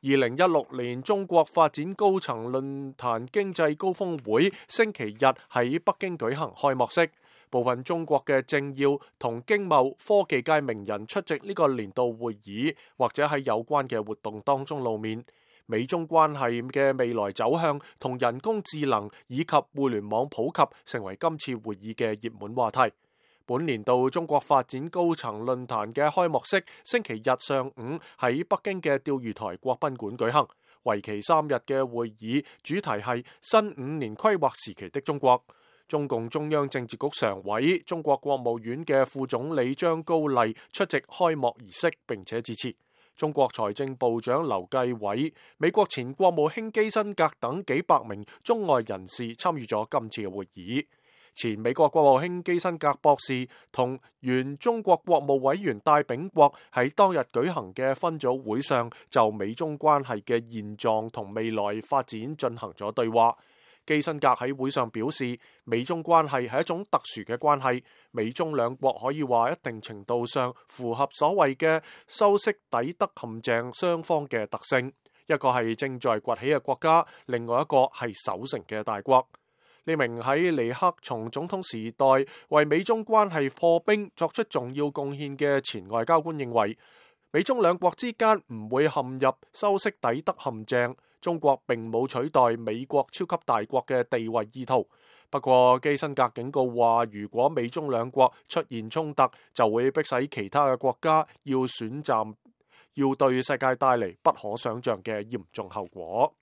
2016年中國發展高層論壇經濟高峰會星期日喺北京舉行開幕式，部分中國嘅政要同經貿科技界名人出席呢個年度會議，或者喺有關嘅活動當中露面。美中關係嘅未來走向同人工智能以及互聯網普及成為今次會議嘅熱門話題。本年度中國發展高層論壇嘅開幕式星期日上午喺北京嘅釣魚台國賓館舉行，為期3日嘅會議主題係新5年規劃時期的中國。中共中央政治局常委、中國國務院嘅副總理張高麗出席開幕儀式並且致辭。中國財政部長劉繼偉、美國前國務卿基辛格等幾百名中外人士參與咗今次嘅會議。前美國國務卿基辛格博士同原中國國務委員戴秉國喺當日舉行嘅分組會上，就美中關係嘅現狀同未來發展進行咗對話。基辛格喺會上表示，美中關係係一種特殊嘅關係，美中兩國可以話一定程度上符合所謂嘅修昔底德陷阱雙方嘅特性，一個係正在崛起嘅國家，另外一個係守成嘅大國。呢名喺尼克松總統時代為美中關係破冰作出重要貢獻嘅前外交官認為，美中兩國之間唔會陷入修昔底德陷阱，中國並冇取代美國超級大國嘅地位意圖。不過基辛格警告話，如果美中兩國出現衝突，就會迫使其他嘅國家要選擇，要對世界帶嚟不可想象嘅嚴重後果。